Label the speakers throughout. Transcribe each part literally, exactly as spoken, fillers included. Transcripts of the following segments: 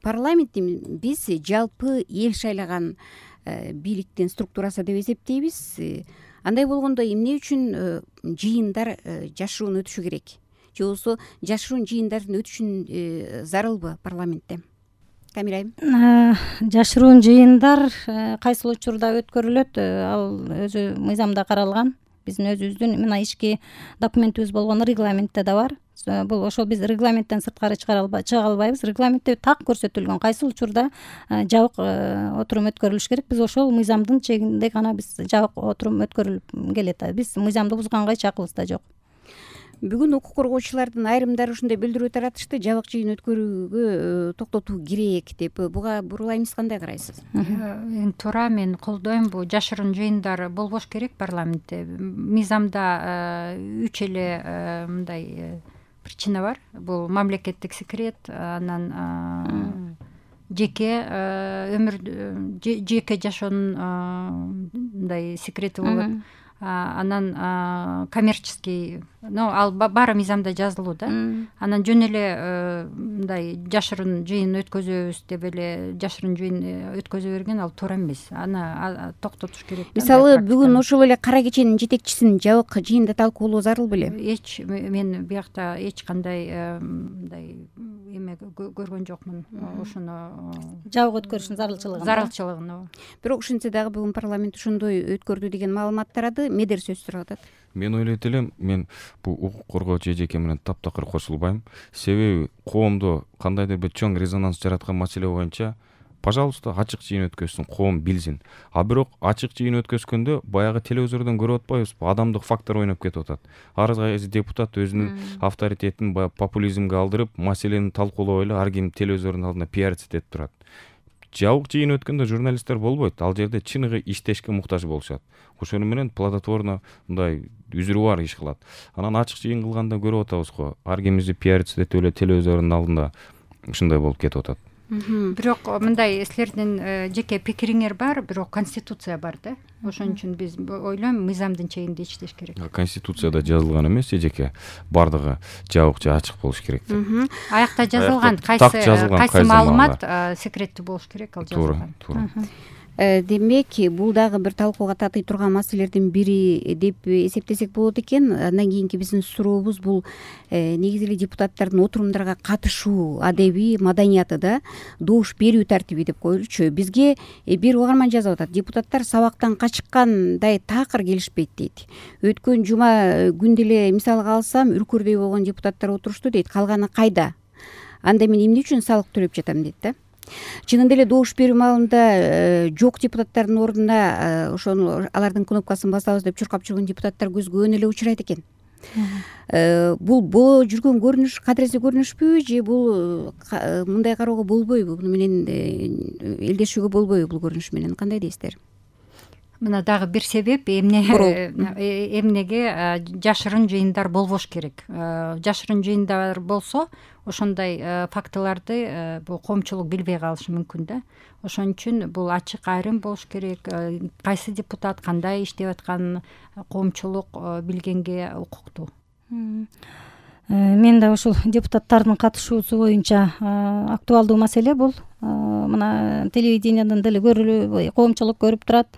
Speaker 1: парламентти биз жалпы эл шайлаган бийликтин структурасы деп эсептейбиз. Андай болгондо эмне үчүн жыйындар жашыруун өтүшү керек? Же болбосо жашыруун жыйындардын өтүшүн зарылбы парламентте? Камира айым.
Speaker 2: Жашыруун жыйындар кайсыл учурда өткөрүлөт, ал өзү мыйзамда каралган. Биздин өзүбүздүн мына ички документибиз болгон регламентте да бар. Бул ошол биз регламенттен сырткары чыга албайбыз. Регламентте так көрсөтүлгөн кайсыл учурда жабык отурум өткөрүлүш керек. Биз ошол мыйзамдын чегинде гана биз жабык отурум өткөрүлүп келет. Биз мыйзамды бузганга эч акыбыз да жок.
Speaker 1: Бүгүн укук коргоочулардын айрымдары ушундай билдирүү таратышты, жабык жыйын өткөрүүгө токтотуу керек деп. Буга бурулайм, сиз кандай карайсыз?
Speaker 3: Эң туура, мен колдойм. Бул жашыруун жыйындар болбош керек парламентте. Мыйзамда үч эле мындай причина бар. Бул мамлекеттик секрет, анан жеке өмүр, жеке жашоонун мындай секрети болот. Анан коммерческий, ну ал баары мыйзамда жазылуу да. Анан жөн эле мындай жашыруун жыйын өткөзөбүз деп эле жашыруун жыйын өткөзө берген ал туура эмес. Аны токтотуш керек.
Speaker 1: Мисалы бүгүн ошол эле Кара кеченин жетекчисин жабык жыйында талкуулоо зарыл беле?
Speaker 3: Эч мен биякта эч кандай мындай эме көргөн жокмун. Ошону
Speaker 2: жабык өткөрүшүн зарылчылыгын.
Speaker 3: Зарылчылыгын.
Speaker 1: Бирок ошентсе дагы бүгүн парламент ошондой өткөрдү деген маалымат тарады. Медер сөз сурап атат.
Speaker 4: Мен ойлойт элем, мен бул укук коргоочу эжеке менен таптакыр кошулбайм. Себеби коомдо кандайдыр бир чоң резонанс жараткан маселе боюнча, пожалуйста, ачык жыйын өткөзсүн, коом билсин. А бирок ачык жыйын өткөзгөндө баягы телевизордон көрүп атпайбызбы, адамдык фактор ойноп кетип атат. Ар кайсы депутат өзүнүн авторитетин баягы популизмге алдырып, маселени талкуулоо эле ар ким телевизордун алдында пиариться этип турат. Жабык жыйын өткөндө журналисттер болбойт. Ал жерде чыныгы иштешке муктаж болушат. Ошону менен плодотворно мындай үзүрү бар иш кылат. Анан ачык жыйын кылганда көрүп атабыз го, ар кимизи пиариться этип эле телевизордун алдында ушундай болуп кетип атат.
Speaker 3: Бирок мындай силердин жеке пикириңер бар, бирок конституция бар да. Ошон үчүн биз ойлойм, мыйзамдын чегинде иштеш керек.
Speaker 4: Конституцияда жазылган эмес, эжеке бардыгы жабык же ачык болуш керек деп.
Speaker 3: Аякта жазылган кайсы кайсы маалымат секреттүү болуш керек, ал жазылган.
Speaker 4: Туура, туура.
Speaker 1: Демек, бул дагы бир талкууга татый турган маселелердин бири деп эсептесек болот экен. Андан кийинки биздин сурообуз бул негизи эле депутаттардын отурумдарга катышуу адеби, маданияты да, добуш берүү тартиби деп коелучу. Бизге бир угарман жазып атат. Депутаттар сабактан качкандай такыр келишпейт дейт. Өткөн жума күндө эле мисалга алсам, үркүрдөй болгон депутаттар отурушту дейт. Калганы кайда? Анда мен эмне үчүн салык төлөп жатам дейт да. Чынында эле добуш берүү маалында жок депутаттардын ордуна ошону алардын кнопкасын басабыз деп чуркап жүргөн депутаттар көзгө өн эле учурайт экен. Бул боло жүргөн көрүнүш кадыресе көрүнүшпү, же бул мындай кароого болбойбу? Буну менен элдешүүгө болбойбу бул көрүнүш менен? Кандай дейсиздер?
Speaker 3: Мына дагы бир себеп эмне эмнеге жашыруун жыйындар болбош керек. Жашыруун жыйындар болсо, ошондой фактыларды бул коомчулук билбей калышы мүмкүн да. Ошон үчүн бул ачык айрым болуш керек. Кайсы депутат кандай иштеп атканын коомчулук билгенге укуктуу.
Speaker 2: Мен да ушул депутаттардын катышуусу боюнча актуалдуу маселе бул. Мына телевиденияден деле көрүлүп, коомчулук көрүп турат.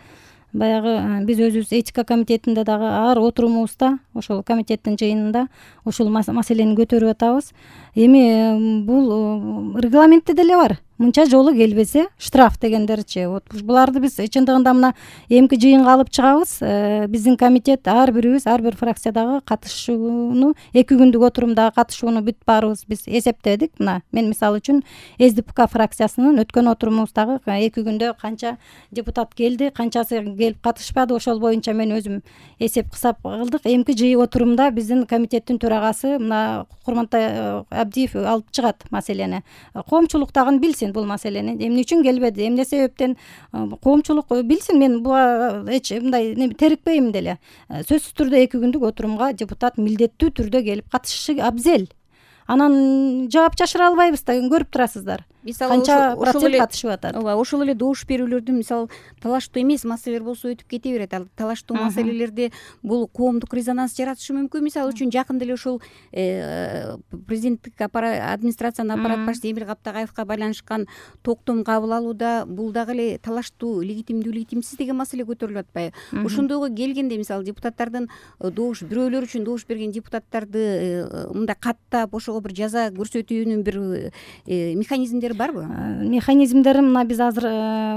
Speaker 2: Баягы биз өзүбүз этика комитетинде дагы ар отурумубузда, ошол комитеттин жыйынында ушул маселени көтөрүп атабыз. Эми бул регламентте деле бар. Мынча жолу келбесе штраф дегендерчи. Вот буларды биз чындыгында мына эмки жыйынга алып чыгабыз. Биздин комитет ар бирибиз, ар бир фракциядагы катышууну, эки күндүк отурумдагы катышууну бүт баарыбыз биз эсептедик. Мына мен мисалы үчүн СДПК фракциясынын өткөн отурумубуздагы эки күндө канча депутат келди, канчасы келип катышпады, ошол боюнча мен өзүм эсеп кысап кылдык. Эмки жыйын отурумда биздин комитеттин төрагасы мына Курмантай Абдиев алып чыгат маселени. Коомчулук дагы билсин бул маселени, эмне үчүн келбеди, эмне себептен, коомчулук билсин. Мен буга эч мындай терикпейм деле. Сөзсүз түрдө эки күндүк отурумга депутат милдеттүү түрдө келип катышышы абзел. Анан жаап жашыра албайбыз да, көрүп турасыздар.
Speaker 1: мисалы
Speaker 2: канча
Speaker 1: ошол
Speaker 2: процент
Speaker 1: эле
Speaker 2: катышып атат.
Speaker 1: ооба, ошол эле добуш берүүлөрдүн мисалы талаштуу эмес маселелер болсо өтүп кете берет. Ал талаштуу маселелерде бул коомдук резонанс жаратышы мүмкүн. Мисалы үчүн жакында эле ушул президенттик администрациянын аппарат башчысы Эмил Каптагаевка байланышкан токтом кабыл алууда бул дагы эле талаштуу легитимдүү легитимсиз деген маселе көтөрүлүп атпайбы? Ошондойго келгенде мисалы депутаттардын добуш бирөөлөр үчүн добуш берген депутаттарды мындай каттап ошого бир жаза көрсөтүүнүн бир механизмдери барбы?
Speaker 2: Механизмдери мына биз азыр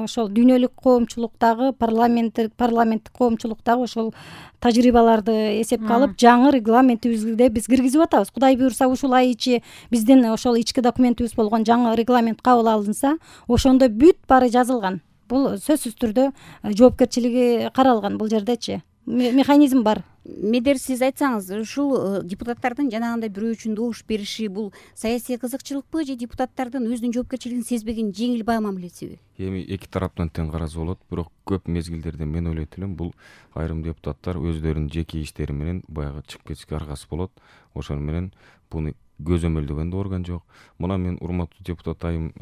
Speaker 2: ошол дүйнөлүк коомчулуктагы парламенттик парламенттик коомчулуктагы ошол тажрыйбаларды эсепке алып жаңы регламентибизде биз киргизип атабыз. Кудай буюрса ушул ай ичи биздин ошол ички документибиз болгон жаңы регламент кабыл алынса, ошондо бүт баары жазылган. Бул сөзсүз түрдө жоопкерчилиги каралган бул жердечи. Механизм бар.
Speaker 1: Медер сиз айтсаңыз, ушул депутаттардын жанагындай бирөө үчүн добуш бериши бул саясий кызыкчылыкпы же депутаттардын өзүнүн жоопкерчилигин сезбеген жеңил баа мамилесиби?
Speaker 4: Эми эки тараптан тең караса болот, бирок көп мезгилдерде мен ойлойт элем бул айрым депутаттар өздөрүнүн жеке иштери менен баягы чыгып кетишке аргасы болот. Ошону менен буну көзөмөлдөгөн да орган жок. Мына мен урматтуу депутат айым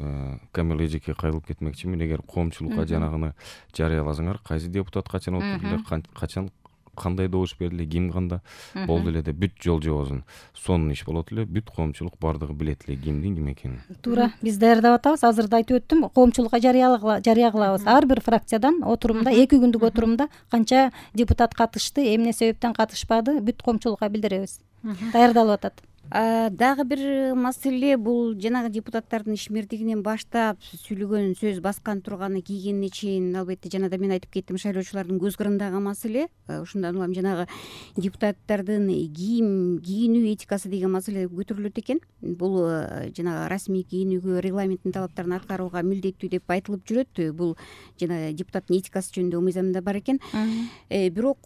Speaker 4: Камил эжеке кайрылып кетмекчимин. Эгер коомчулукка жанагыны жарыяласаңар, кайсы депутат качан отурду, качан кандай добуш берди, ким канда болду эле деп бүт жол жобосун сонун иш болот эле, бүт коомчулук бардыгы билет эле кимдин ким экенин.
Speaker 2: Туура, биз даярдап атабыз. Азыр да айтып өттүм, коомчулукка жарыя кылабыз. Ар бир фракциядан отурумда, эки күндүк отурумда канча депутат катышты, эмне себептен катышпады, бүт коомчулукка билдиребиз. Даярдалып атат.
Speaker 1: Дагы бир маселе бул жанагы депутаттардын ишмердигинен баштап сүйлөгөн сөз баскан турганы кийгенине чейин, албетте жана да мен айтып кеттим, шайлоочулардын көз кырындагы маселе. Ошондон улам жанагы депутаттардын кийим кийинүү этикасы деген маселе көтөрүлөт экен. Бул жанагы расмий кийинүүгө, регламенттин талаптарын аткарууга милдеттүү деп айтылып жүрөт. Бул жана депутаттын этикасы жөнүндө мыйзамда бар экен. Бирок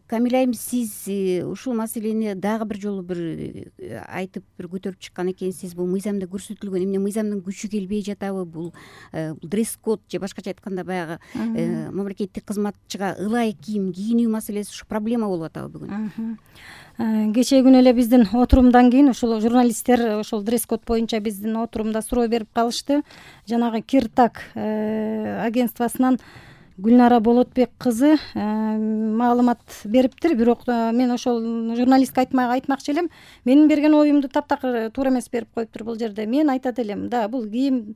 Speaker 1: Камил айым, сиз ушул маселени дагы бир жолу бир айтып бир көтөрүп чыккан экенсиз. Бул мыйзамда көрсөтүлгөн, эмне мыйзамдын күчү келбей жатабы? Бул дресс-код же башкача айтканда баягы мамлекеттик кызматчыга ылайык кийим кийинүү маселеси ушу проблема болуп атабы бүгүн?
Speaker 2: Кечээ күнү эле биздин отурумдан кийин ушул журналисттер ошол дресс-код боюнча биздин отурумда суроо берип калышты. Жанагы Киртак агентствосунан Гүлнара Болотбек кызы маалымат бериптир, бирок мен ошол журналистке айтмакчы элем, менин берген оюмду таптакыр туура эмес берип коюптур бул жерде. Мен айтат элем, да, бул кийим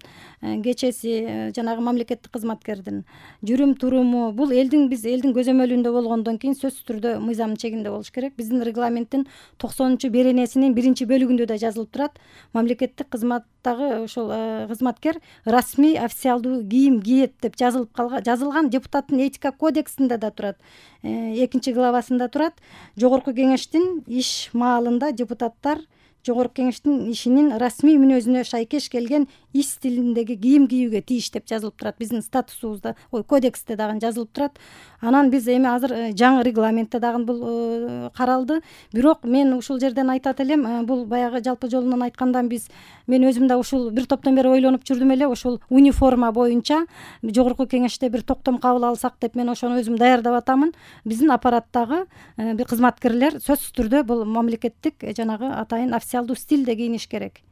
Speaker 2: кечеси жанагы мамлекеттик кызматкердин жүрүм туруму, бул элдин биз элдин көзөмөлүндө болгондон кийин сөзсүз түрдө мыйзамдын чегинде болуш керек. Биздин регламенттин токсонунчу беренесинин биринчи бөлүгүндө да жазылып турат, мамлекеттик кызматтагы ошол кызматкер расмий официалдуу кийим кийет деп жазылып калган, жазылган. Депутаттын этика кодексинде да турат, экинчи главасында турат. Жогорку кеңештин иш маалында депутаттар Жогорку кеңештин ишинин расмий мүнөзүнө шайкеш келген иш стилиндеги кийим кийүүгө тийиш деп жазылып турат. Биздин статусубузда, ой, кодексте дагы жазылып турат. Анан биз эми азыр жаңы регламентте дагы бул каралды. Бирок мен ушул жерден айтат элем, бул баягы жалпы жолунан айткандан биз мен өзүм да ушул бир топтон бери ойлонуп жүрдүм эле, ушул униформа боюнча Жогорку кеңеште бир токтом кабыл алсак деп мен ошону өзүм даярдап атамын. Биздин аппараттагы бир кызматкерлер сөзсүз түрдө бул мамлекеттик жанагы атайын официалдуу стилде кийиниш керек.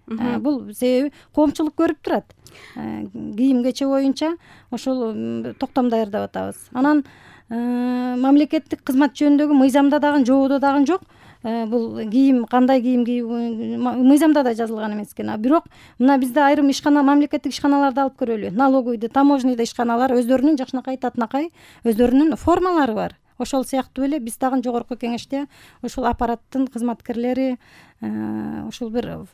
Speaker 2: Бул себеби коомчулук көрүп турат. Кийим кече боюнча ошол токтом даярдап атабыз. Анан мамлекеттик кызмат жөнүндөгү мыйзамда дагы, жободо дагы жок. Бул кийим кандай кийим кийүү мыйзамда да жазылган эмес экен. Бирок мына бизде айрым ишкана, мамлекеттик ишканаларды алып көрөлү. Налоговыйда, таможняда ишканалар өздөрүнүн жакшынакай татынакай өздөрүнүн формалары бар. Ошол сыяктуу эле биз дагы Жогорку кеңеште ушул аппараттын кызматкерлери ушул бир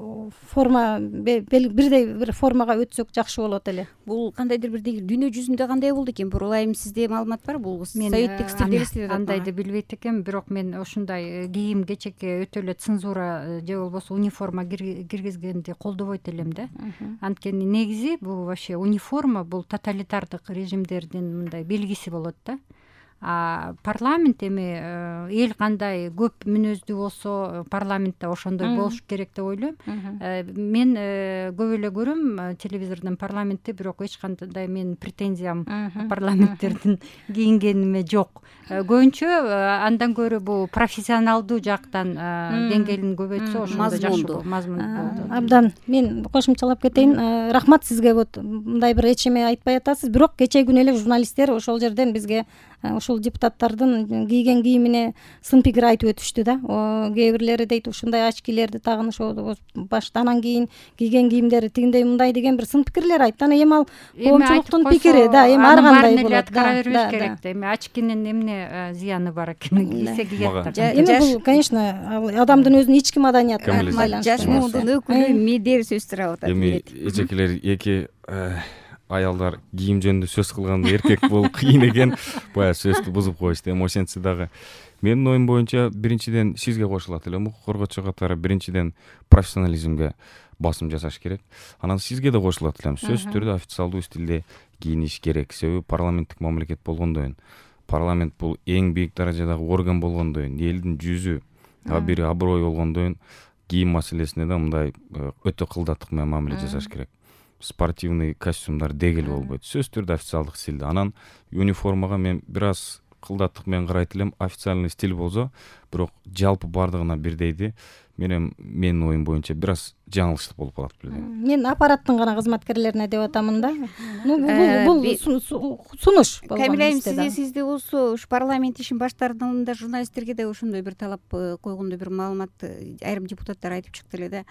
Speaker 2: форма, бирдей бир формага өтсөк жакшы болот эле.
Speaker 1: Бул кандайдыр бир дүйнө жүзүндө кандай болду экен? Бурулайым, сизде маалымат бар? Бул советтик стилде элестетет.
Speaker 3: Андайды билбейт экен, бирок мен ушундай кийим кечекке өтө эле цензура же болбосо униформа киргизгенди колдобойт элем да. Анткени негизи бул вообще униформа бул тоталитардык режимдердин мындай белгиси болот да. а парламент эми эл кандай көп мүнөздүү болсо парламент да ошондой болуш керек деп ойлойм. Мен көп эле көрөм телевизордон парламентти, бирок эч кандай менин претензиям парламенттердин кийингениме жок. Көбүнчө андан көрө бул профессионалдуу жактан деңгээлин көбөйтсө ошондо жакшы болот, мазмундуу.
Speaker 2: Абдан мен кошумчалап кетейин. Рахмат сизге. Вот мындай бир эч эме айтпай атасыз, бирок кечээ күнү эле журналисттер ошол жерден бизге ушул депутаттардын кийген кийимине сын пикир айтып өтүштү да. Кээ бирлери дейт ушундай очкилерди тагынышып башта, анан кийин кийген кийимдери тигиндей мындай деген бир сын пикирлер айтты. Анан эми ал коомчулуктун пикири да, эми ар кандай болот.
Speaker 3: Аткара бербеш керек да. Эми очкинин эмне зыяны бар экен, кийсе кийет.
Speaker 2: Эми бул, конечно, адамдын өзүнүн ички маданиятына байланыштуу.
Speaker 1: Жаш муунун өкүлү Медер сөз сурап атат.
Speaker 4: Эми эжекелер эки аялдар кийим жөнүндө сөз кылганда эркек болуп кыйын экен, баягы сөздү бузуп коюшту. Эми ошентсе дагы менин оюм боюнча биринчиден сизге кошулат элем, укук коргоочу катары биринчиден профессионализмге басым жасаш керек. Анан сизге да кошулат элем, сөзсүз түрдө официалдуу стилде кийиниш керек. Себеби парламенттик мамлекет болгондойн, парламент бул эң бийик даражадагы орган болгондойн, элдин жүзү, абири аброй болгондойн, кийим маселесине да мындай өтө кылдаттык менен мамиле жасаш керек. Спортивный костюмдар дегел болбойт, сөзсүз түрдө официалдык стилде. Анан униформага мен бир аз кылдаттык менен карайт элем, официальный стиль болсо, бирок жалпы бардыгына бирдейди. Менин менин оюм боюнча бир аз жаңылыштык болуп калат билем.
Speaker 2: Мен аппараттын гана кызматкерлерине деп атамын да. Бул сунуш болгон.
Speaker 1: Камила айым, сизде сизде болсо ушу парламент ишин баштаарында журналисттерге да ошондой бир талап койгондой бир маалымат айрым депутаттар айтып чыкты эле да.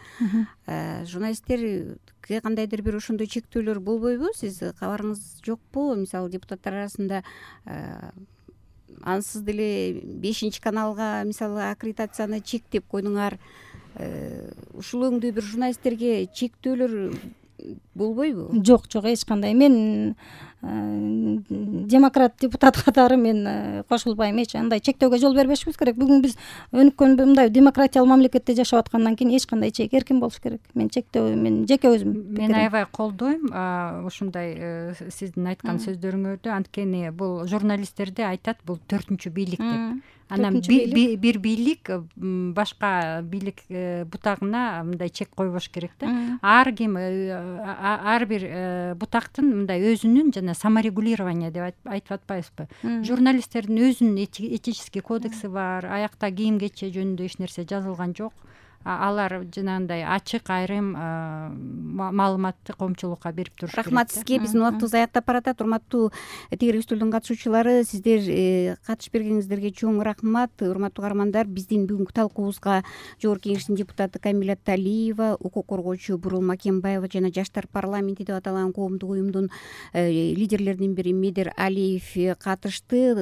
Speaker 1: Журналисттерге кандайдыр бир ошондой чектөөлөр болбойбу? Сиз кабарыңыз жокпу? Мисалы депутаттар арасында ансыз деле бешинчи каналга мисалы аккредитацияны чектеп койдуңар. Ушул өңдүү бир журналисттерге чектөөлөр болбойбу?
Speaker 2: Жок, жок, эч кандай. Мен демократ депутат катары мен кошулбайм. Эч андай чектөөгө жол бербешибиз керек. Бүгүн биз өнүккөн мындай демократиялуу мамлекетте жашап аткандан кийин эч кандай чек эркин болуш керек. Мен чектөө, мен жеке өзүм
Speaker 3: мен аябай колдойм ушундай сиздин айткан сөздөрүңөрдү. Анткени бул журналисттерде айтат, бул төртүнчү бийлик деп. Анан бир бийлик башка бийлик бутагына мындай чек койбош керек да. Ар ким, ар бир бутактын мындай өзүнүн жана саморегулирование деп айтып атпайбызбы? Журналисттердин өзүнүн этический кодекси бар. Аякта кийим кече жөнүндө эч нерсе жазылган жок. Алар жанагындай ачык айрым маалыматты коомчулукка берип туруш керек.
Speaker 1: Рахмат сизге. Биздин убактыбыз аяктап баратат. Урматтуу тегерек үстөлдүн катышуучулары, сиздер катышып бергениңиздерге чоң рахмат. Урматтуу каармандар, биздин бүгүнкү талкуубузга Жогорку Кеңештин депутаты Камила Талиева, укук коргоочу Бурул Макенбаева жана Жаштар парламенти деп аталган коомдук уюмдун лидерлеринин бири Медер Алиев катышты.